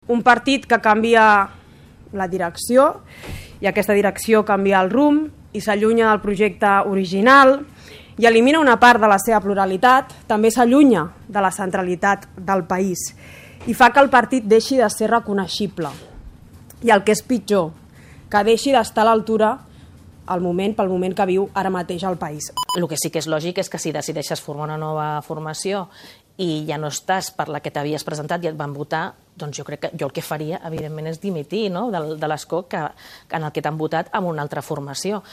un partit que canvia la direcció i aquesta direcció canvia el rumb i s'allunya del projecte original i elimina una part de la seva pluralitat, també s'allunya de la centralitat del país i fa que el partit deixi de ser reconeixible. I el que és pitjor, que deixi d'estar a l'altura pel moment que viu ara mateix el país. El que sí que és lògic és que si decideixes formar una nova formació i ja no estàs per la que t'havies presentat i et van votar, doncs jo crec que jo el que faria, evidentment, és dimitir de l'escó en el que t'han votat amb una altra formació.